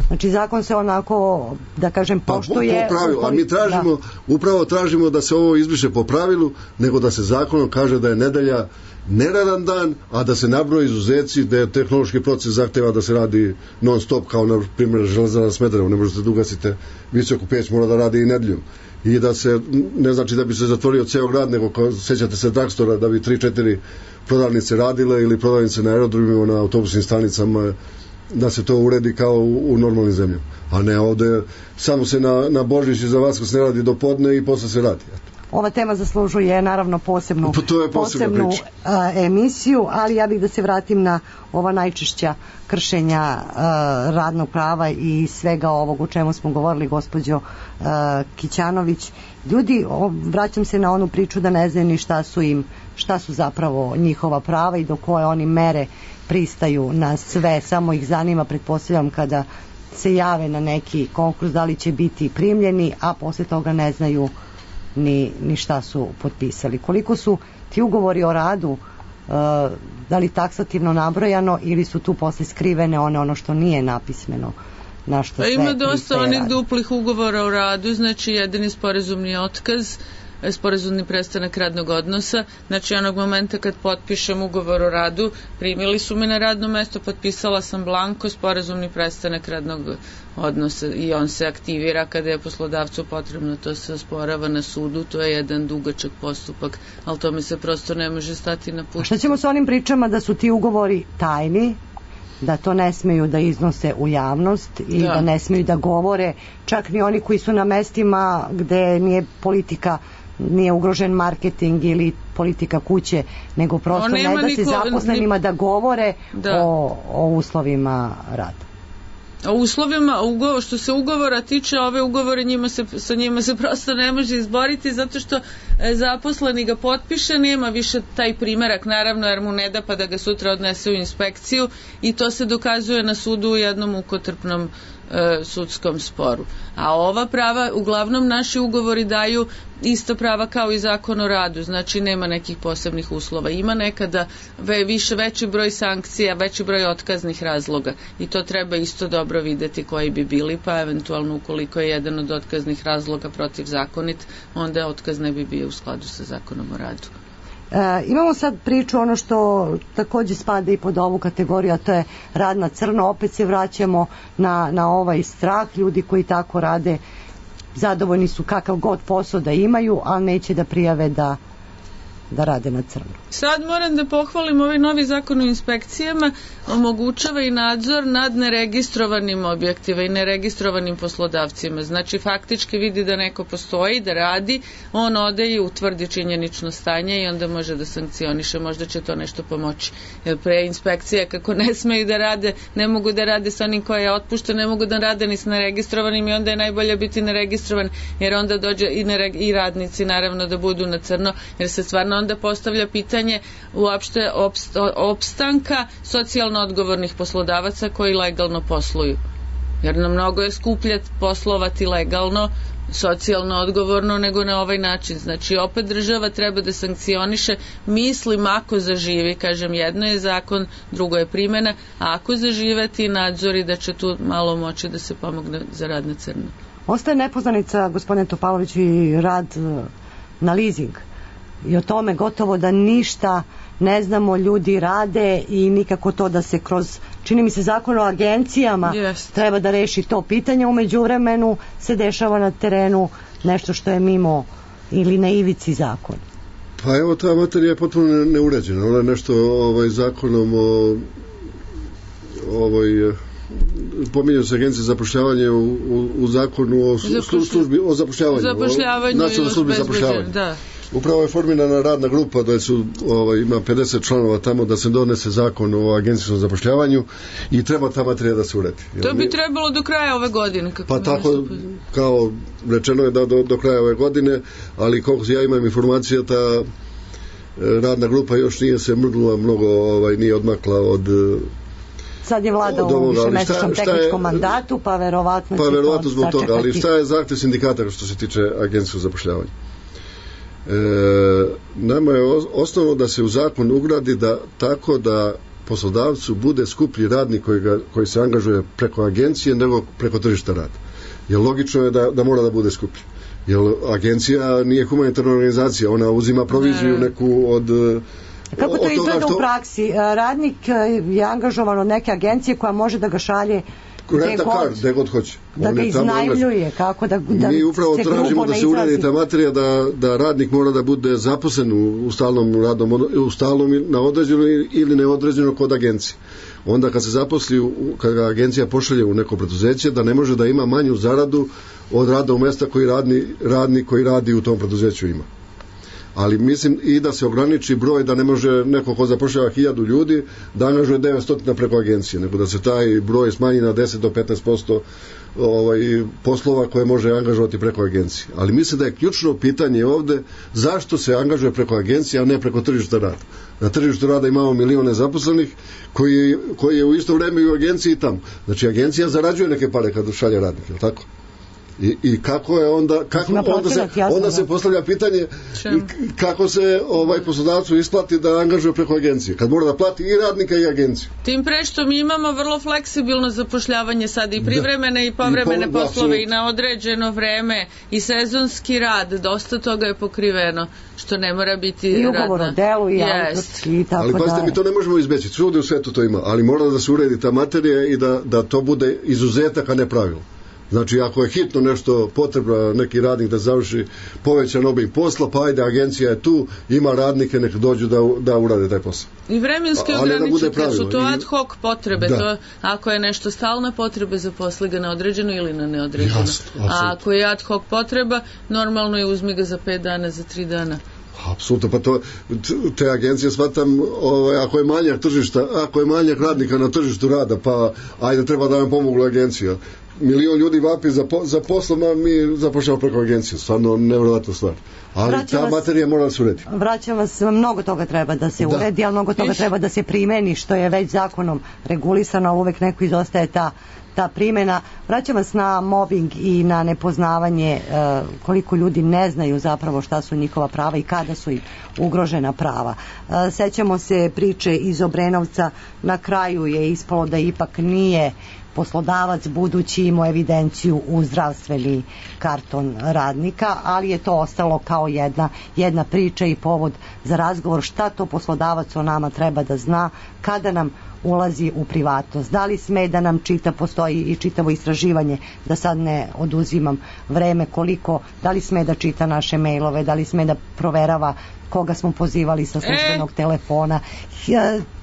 Znači zakon se onako, da kažem, poštuje...
Po pravilu, a mi tražimo, upravo tražimo da se ovo izbriše po pravilu, nego da se zakonom kaže da je nedelja neradan dan, a da se nabroje izuzeci, da je tehnološki proces zahteva da se radi non stop, kao na primjer Železara Smederevo, ne možete da ugasite visoku peć, mora da radi i nedeljom. I da se, ne znači da bi se zatvorio ceo grad, nego sećate se Dragstora, da bi 3-4 prodavnice radile ili prodavnice na aerodromima, na autobusnim stanicama, da se to uredi kao u normalnim zemljama. A ne ovde, samo se na Božić i za Vaskrs ne radi do podne i posle se radi.
Ova tema zaslužuje naravno posebnu emisiju, ali ja bih da se vratim na ova najčešća kršenja radnog prava i svega ovog o čemu smo govorili, gospođo Kićanović. Ljudi, vraćam se na onu priču da ne znaju ni šta su zapravo njihova prava i do koje oni mere pristaju na sve, samo ih zanima, pretpostavljam, kada se jave na neki konkurs da li će biti primljeni, a posle toga ne znaju ni šta su potpisali. Koliko su ti ugovori o radu, da li taksativno nabrojano ili su tu posle skrivene ono što nije napismeno, na što sve
ima dosta
pristaje
onih
rad.
duplih ugovora o radu, znači jedini sporazumni otkaz, sporazumni prestanak radnog odnosa, znači onog momenta kad potpišem ugovor o radu, primili su me na radno mesto, potpisala sam blanko, sporazumni prestanak radnog odnosa i on se aktivira kada je poslodavcu potrebno, to se osporava na sudu, to je jedan dugačak postupak, ali tome se prosto ne može stati na put.
A šta ćemo sa onim pričama da su ti ugovori tajni, da to ne smeju da iznose u javnost i da ne smeju da govore, čak ni oni koji su na mestima gde nije politika, nije ugrožen marketing ili politika kuće, nego prosto ne da se zaposlenima da govore o uslovima rada.
O uslovima, što se ugovora tiče, ove ugovore sa njima se prosto ne može izboriti, zato što zaposleni ga potpiše, nema više taj primerak, naravno, jer mu ne da pa da ga sutra odnese u inspekciju i to se dokazuje na sudu u jednom mukotrpnom sudskom sporu. A ova prava, uglavnom naši ugovori daju ista prava kao i zakon o radu, znači nema nekih posebnih uslova. Ima nekada veći broj sankcija, veći broj otkaznih razloga i to treba isto dobro videti koji bi bili, pa eventualno ukoliko je jedan od otkaznih razloga protivzakonit, onda otkaz ne bi bio u skladu sa zakonom o radu.
Imamo sad priču, ono što takođe spada i pod ovu kategoriju, a to je rad na crno. Opet se vraćamo na ovaj strah. Ljudi koji tako rade zadovoljni su kakav god posao da imaju, ali neće da prijave da rade na crno.
Sad moram da pohvalim ovaj novi zakon o inspekcijama, omogućava i nadzor nad neregistrovanim objektima i neregistrovanim poslodavcima. Znači faktički vidi da neko postoji, da radi, on ode i utvrdi činjenično stanje i onda može da sankcioniše, možda će to nešto pomoći. Jer pre inspekcije kako ne smeju da rade, ne mogu da rade sa onim koji je otpušten, ne mogu da rade ni s neregistrovanim i onda je najbolje biti neregistrovan, jer onda dođe i radnici naravno da budu na crno, jer se stvarno onda postavlja pitanje uopšte opstanka socijalno odgovornih poslodavaca koji legalno posluju. Jer na mnogo je skuplje poslovati legalno, socijalno odgovorno nego na ovaj način. Znači opet država treba da sankcioniše, mislim ako zaživi, kažem jedno je zakon, drugo je primjena, a ako zažive ti nadzori da će tu malo moći da se pomogne za rad na crno.
Ostaje nepoznanica, gospodine Topalović, i rad na leasing. I o tome gotovo da ništa ne znamo, ljudi rade i nikako to da se kroz, čini mi se, zakon o agencijama treba da reši to pitanje. U međuvremenu se dešava na terenu nešto što je mimo ili na ivici zakona.
Pa evo, ta materija je potpuno neuređena. Ona je nešto zakonom pominjaju se agencije za zapošljavanje u zakonu o službi o zapošljavanju, nacionalnoj službi zapošljavanja. Upravo je formirana radna grupa da su, ima 50 članova tamo da se donese zakon o agencijskom zapošljavanju i treba ta materija da se uredi.
To bi trebalo do kraja ove godine.
Pa tako, kao rečeno je da do kraja ove godine, ali koliko ja imam informacija, ta radna grupa još nije se mrdnula mnogo, nije odmakla od...
Sad je vlada u višemesečnom tehničkom mandatu, pa verovatno će to
zbog toga,
sačekati.
ali šta je zahtev sindikata što se tiče agencijskog zapošljavanja? Nama je osnovno da se u zakon ugradi da tako da poslodavcu bude skuplji radnik koji se angažuje preko agencije nego preko tržišta rada. Jer logično je da mora da bude skuplji. Jer agencija nije humanitarna organizacija, ona uzima proviziju neku od...
Kako to izgleda u praksi? Radnik je angažovan od neke agencije koja može da ga šalje
gde god hoće.
Da ga iznajmljuje, kako da
mi upravo tražimo da se uredi ta materija da radnik mora da bude zaposlen u stalnom radnom, u stalnom na određeno ili neodređeno kod agencije. Onda kad se zaposli, kad ga agencija pošalje u neko preduzeće, da ne može da ima manju zaradu od rada u mesta koji radnik koji radi u tom preduzeću ima. Ali mislim i da se ograniči broj, da ne može neko ko zapošljava 1000 ljudi da angažuje 900 preko agencije, nego da se taj broj smanji na 10 do 15% poslova koje može angažovati preko agencije. Ali mislim da je ključno pitanje ovde zašto se angažuje preko agencije, a ne preko tržišta rada. Na tržištu rada imamo milione zaposlenih koji je u isto vreme i u agenciji tamo. Znači agencija zarađuje neke pare kad šalje radnik, je li tako? I kako je onda se postavlja pitanje kako se poslodavcu isplati da angažuje preko agencije, kad mora da plati i radnika i agenciju.
Tim pre što mi imamo vrlo fleksibilno zapošljavanje sad i privremene i povremene poslove i na određeno vreme i sezonski rad, dosta toga je pokriveno, što ne mora biti
i ugovor o delu i autorski i tako
ali pazite, mi to ne možemo izbeći, svugde u svetu to ima, ali mora da se uredi ta materija i da to bude izuzetak, a ne pravilo. Znači, ako je hitno nešto potrebno, neki radnik da završi povećan obim posla, pa ajde, agencija je tu, ima radnike, nek dođu da urade taj posao.
I vremenski ograničiti, jer su to ad hoc potrebe, to, ako je nešto stalna potrebe, zaposli ga na određeno ili na neodređeno.
Jasno,
a ako je ad hoc potreba, normalno je uzmi ga za 5 dana, za 3 dana.
Apsolutno, pa to te agencije shvatam, ako je manjak tržišta, ako je manjak radnika na tržištu rada, pa ajde, treba da nam pomogu agencija. Milion ljudi vapi za poslom, a mi zapošljamo preko agencije. Stvarno nevjerovatna stvar. Ali ta materija mora da se uredi.
Vraćam vas, mnogo toga treba da se uredi, ali mnogo toga treba da se primeni, što je već zakonom regulisano, ali uvek neko izostaje ta primjena. Vraćam vas na mobbing i na nepoznavanje, koliko ljudi ne znaju zapravo šta su njihova prava i kada su im ugrožena prava. Sećamo se priče iz Obrenovca, na kraju je ispalo da ipak nije poslodavac budući imao evidenciju u zdravstveni karton radnika, ali je to ostalo kao jedna priča i povod za razgovor šta to poslodavac o nama treba da zna kada nam ulazi u privatnost. Da li sme da nam čita, postoji i čitavo istraživanje, da sad ne oduzimam vreme, da li sme da čita naše mailove, da li sme da proverava koga smo pozivali sa službenog telefona.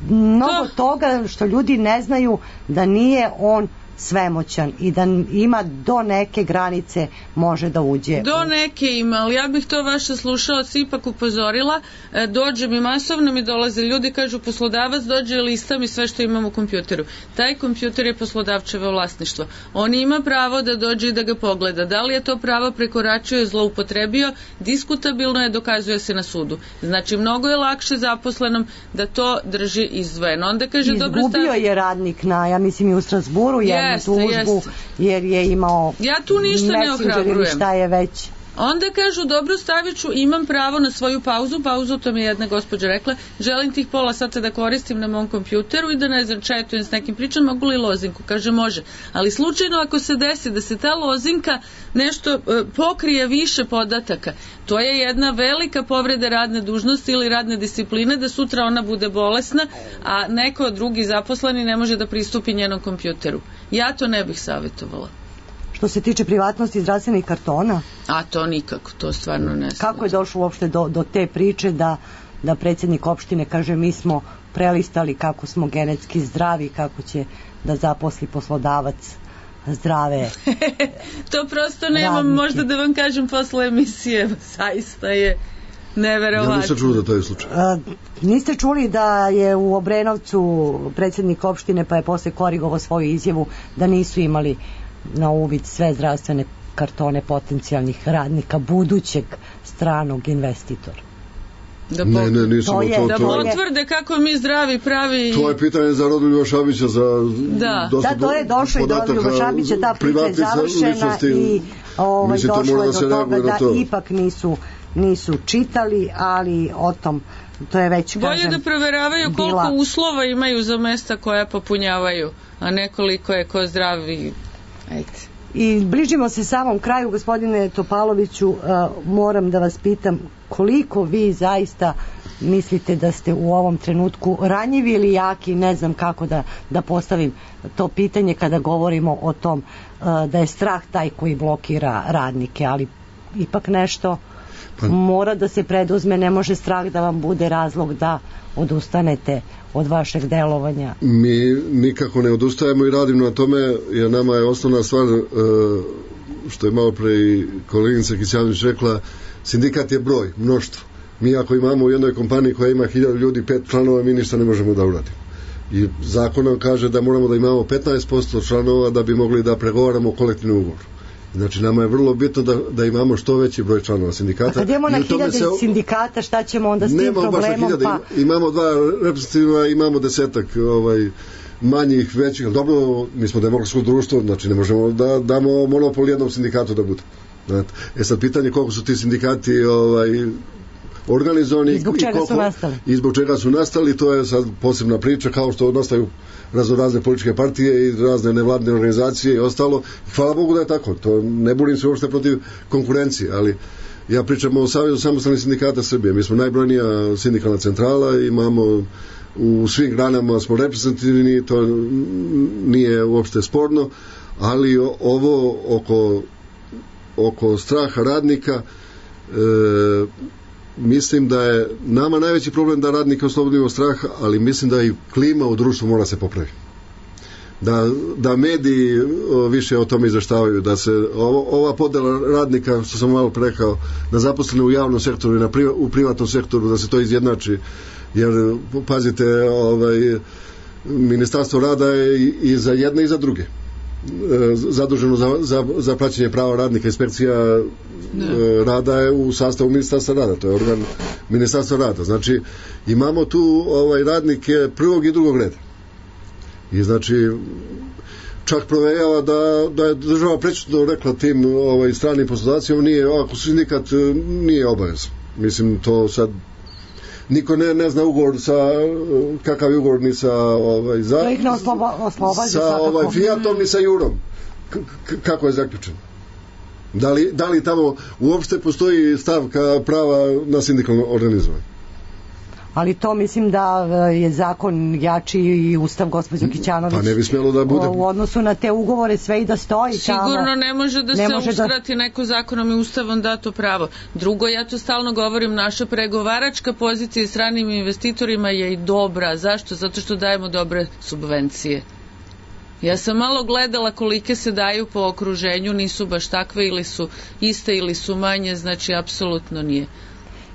Mnogo toga što ljudi ne znaju da nije on svemoćan i da ima do neke granice može da uđe.
Do neke ima, ali ja bih to vaša slušalac ipak upozorila. Dođe mi masovno, mi dolaze ljudi, kažu poslodavac dođe i lista mi sve što imam u kompjuteru. Taj kompjuter je poslodavčevo vlasništvo. On ima pravo da dođe i da ga pogleda. Da li je to pravo prekoračio i zloupotrebio, diskutabilno je, dokazuje se na sudu. Znači, mnogo je lakše zaposlenom da to drži izdvojeno. Onda kaže,
izgubio je radnik ja mislim i u Strasburu tužbu jer je imao
ja tu ništa ne ohrabrujem.
Šta je već.
Onda kažu, dobro, stavit ću, imam pravo na svoju pauzu, to mi je jedna gospođa rekla, želim tih pola sata da koristim na mom kompjuteru i da ne znam, četujem s nekim pričom, mogu li lozinku? Kaže, može. Ali slučajno ako se desi da se ta lozinka nešto pokrije više podataka, to je jedna velika povreda radne dužnosti ili radne discipline, da sutra ona bude bolesna, a neko drugi zaposleni ne može da pristupi njenom kompjuteru. Ja to ne bih savjetovala.
Što se tiče privatnosti zdravstvenih kartona?
A to nikako, to stvarno ne znam.
Kako je došlo uopšte do te priče da predsjednik opštine kaže mi smo prelistali kako smo genetski zdravi, kako će da zaposli poslodavac zdrave
to prosto nemam radnike. Možda da vam kažem posle emisije, zaista je Neverovatno.
Ja nisam čuo da to je slučaj.
Niste čuli da je u Obrenovcu predsjednik opštine, pa je posle korigovao svoju izjavu da nisu imali na uvid sve zdravstvene kartone potencijalnih radnika budućeg stranog investitora?
Da
nisam
da potvrde kako mi zdravi pravi.
To je pitanje za Rodoljuba Šabića, za
da, to je došlo i do Rodoljuba Šabića, ta priča je završena i došlo je do toga da ipak nisu čitali, ali o tom to je već,
bolje da proveravaju koliko uslova imaju za mesta koja popunjavaju, a nekoliko je ko zdravi. Ajde.
I bližimo se samom kraju, gospodine Topaloviću, moram da vas pitam koliko vi zaista mislite da ste u ovom trenutku ranjivi ili jaki, ne znam kako da postavim to pitanje kada govorimo o tom da je strah taj koji blokira radnike, ali ipak nešto mora da se preduzme, ne može strah da vam bude razlog da odustanete od vašeg delovanja.
Mi nikako ne odustajemo i radimo na tome, jer nama je osnovna stvar, što je malo pre i koleginica Kićanović rekla, sindikat je broj, mnoštvo. Mi ako imamo u jednoj kompaniji koja ima 1000 ljudi, 5 članova, mi ništa ne možemo da uradimo. I zakon nam kaže da moramo da imamo 15% članova da bi mogli da pregovaramo kolektivni ugovor. Znači, nama je vrlo bitno da imamo što veći broj članova sindikata.
A kad imamo na 1000 sindikata, šta ćemo onda s tim problemom?
Imamo 2 reprezentativna, imamo 10 manjih, većih, ali dobro, mi smo demokratsko društvo, znači ne možemo da damo monopol jednom sindikatu da bude. Sad pitanje koliko su ti sindikati organizovani i zbog čega su nastali, to je sad posebna priča, kao što nastaju razne političke partije i razne nevladne organizacije i ostalo. Hvala Bogu da je tako, to ne budim se uopšte protiv konkurencije, ali ja pričam o Savezu samostalnih sindikata Srbije. Mi smo najbrojnija sindikalna centrala, imamo u svim granama smo reprezentativni, to nije uopšte sporno, ali ovo oko straha radnika, mislim da je nama najveći problem da radnike oslobodimo straha, ali mislim da i klima u društvu mora se popraviti. Da mediji više o tome izveštavaju, da se ova podela radnika, što sam malo rekao, da zaposlene u javnom sektoru i u privatnom sektoru, da se to izjednači, jer pazite, Ministarstvo rada je i za jedne i za druge zaduženo za praćenje prava radnika. Inspekcija rada je u sastavu Ministarstva rada, to je organ Ministarstva rada. Znači, imamo tu radnike prvog i drugog reda. I znači, čak provejava da je država prećutno rekla tim stranim poslodavcima, ako sindikat nije obavezan. Mislim, to sad niko ne zna ugovor kakav je ugovor ni sa Fiatom ni sa Jurom, kako je zaključen. Da li tamo uopšte postoji stavka prava na sindikalno organizovanje?
Ali to mislim da je zakon jači i ustav, gospođo Kićanović.
Pa ne bi smjelo da bude.
U odnosu na te ugovore sve i da stoji tamo.
Sigurno ne može da se uskrati neko zakonom i ustavom dato pravo. Drugo, ja to stalno govorim, naša pregovaračka pozicija stranim investitorima je i dobra. Zašto? Zato što dajemo dobre subvencije. Ja sam malo gledala kolike se daju po okruženju, nisu baš takve, ili su iste ili su manje, znači apsolutno nije.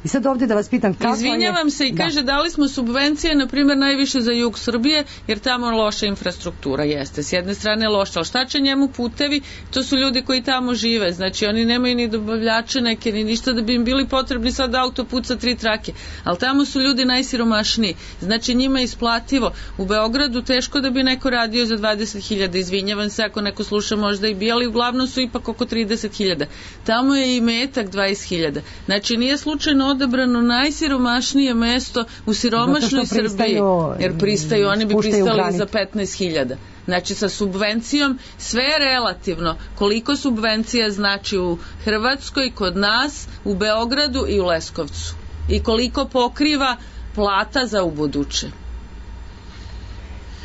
I sad ovdje da vas pitam kako
Izvinjavam se i kaže dali smo subvencije na primjer najviše za jug Srbije jer tamo loša infrastruktura jeste. S jedne strane loša, ali šta će njemu putevi? To su ljudi koji tamo žive, znači oni nemaju ni dobavljače neke ni ništa da bi im bili potrebni sad autoput sa 3 trake, ali tamo su ljudi najsiromašniji, znači njima je isplativo. U Beogradu teško da bi neko radio za 20.000, izvinjavam se ako neko sluša možda i bi, ali uglavnom su ipak oko 30.000. Tamo je i metak 20.000, znači nije slučajno odabrano najsiromašnije mesto u siromašnoj Srbiji, jer pristaju, oni bi pristali za 15.000. Znači sa subvencijom sve je relativno. Koliko subvencija znači u Hrvatskoj, kod nas, u Beogradu i u Leskovcu. I koliko pokriva plata za ubuduće.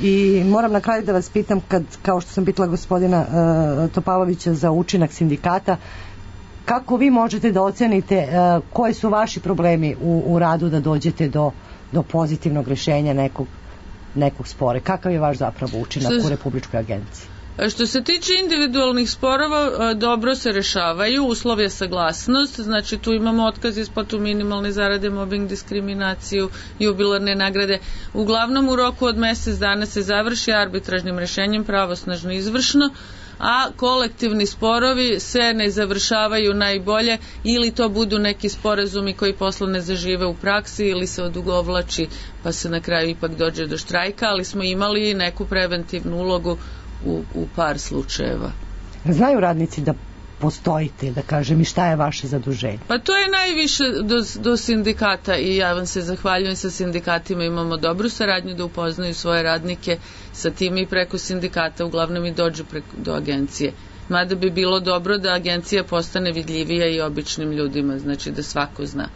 I moram na kraju da vas pitam, kao što sam pitala gospodina Topalovića za učinak sindikata, kako vi možete da ocenite koji su vaši problemi u radu da dođete do pozitivnog rješenja nekog spore? Kakav je vaš zapravo učinak u Republičkoj agenciji?
Što se tiče individualnih sporova, dobro se rešavaju, uslov je saglasnost, znači tu imamo otkaz isplatu minimalne zarade, mobbing, diskriminaciju, jubilarne nagrade. Uglavnom u roku od mesec dana se završi arbitražnim rešenjem pravosnažno izvršno, a kolektivni sporovi se ne završavaju najbolje ili to budu neki sporazumi koji posle ne zažive u praksi ili se odugovlači pa se na kraju ipak dođe do štrajka, ali smo imali neku preventivnu ulogu u par slučajeva.
Znaju radnici da postojite, da kažem, i šta je vaše zaduženje?
Pa to je najviše do sindikata i ja vam se zahvaljujem, sa sindikatima imamo dobru saradnju da upoznaju svoje radnike sa tim i preko sindikata uglavnom i dođu do agencije. Mada bi bilo dobro da agencija postane vidljivija i običnim ljudima, znači da svako zna.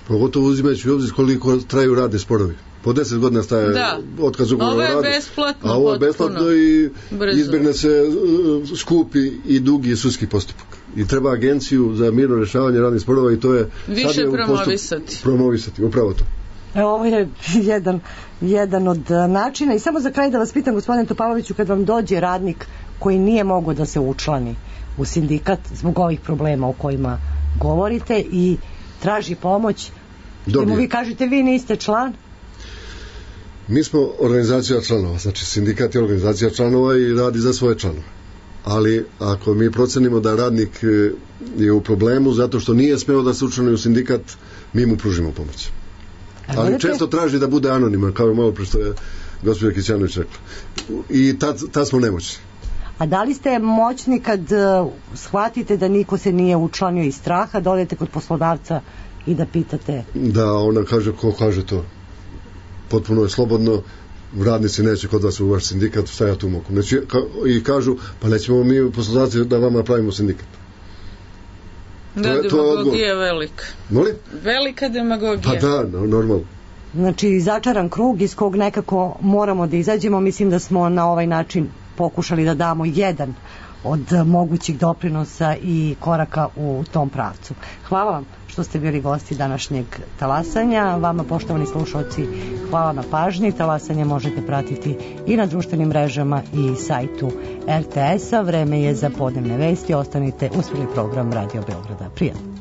Pogotovo uzimajući u obzir koliko traju radni sporovi. Po 10 godina staje otkaz ugovora o radu.
Ovo je besplatno,
a ovo je besplatno i izbjegne se skupi i dugi sudski postupak. I treba agenciju za mirno rješavanje radnih sporova i to je
više
promovisati, upravo to.
Ovo je jedan od načina. I samo za kraj da vas pitam, gospodine Topaloviću, kad vam dođe radnik koji nije mogao da se učlani u sindikat zbog ovih problema o kojima govorite i traži pomoć, i mu vi kažete vi niste član?
Mi smo organizacija članova, znači sindikat je organizacija članova i radi za svoje članove. Ali ako mi procenimo da radnik je u problemu zato što nije smeo da se učlani u sindikat, mi mu pružimo pomoć. Ali često traži da bude anoniman, kao je malo pre što je gospođa Kićanović rekla. I tad smo nemoćni.
A da li ste moćni kad shvatite da niko se nije učlanio iz straha, da odete kod poslodavca i da pitate?
Da, ona kaže, ko kaže to? Potpuno je slobodno, radnici neće kod vas u vaš sindikat, šta ja tu mogu. I kažu, pa nećemo mi poslodavci da vama pravimo sindikat.
Demagogija je velika.
Molim?
Velika demagogija.
Pa da, normalno.
Znači, začaran krug iz kog nekako moramo da izađemo. Mislim da smo na ovaj način pokušali da damo jedan od mogućih doprinosa i koraka u tom pravcu. Hvala vam što ste bili gosti današnjeg talasanja. Vama, poštovani slušalci, hvala na pažnji. Talasanje možete pratiti i na društvenim mrežama i sajtu RTS-a. Vreme je za podnevne vesti. Ostanite uz program Radio Beograda. Prijatno.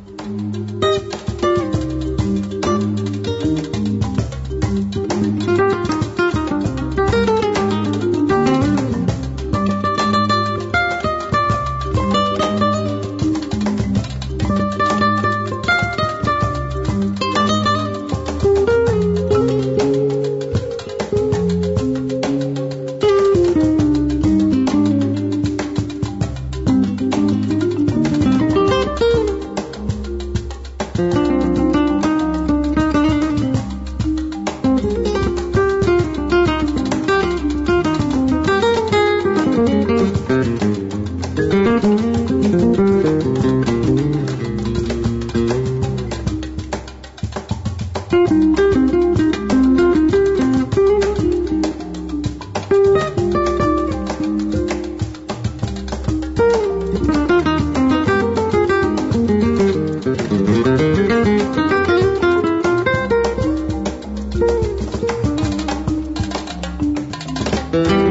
Thank you.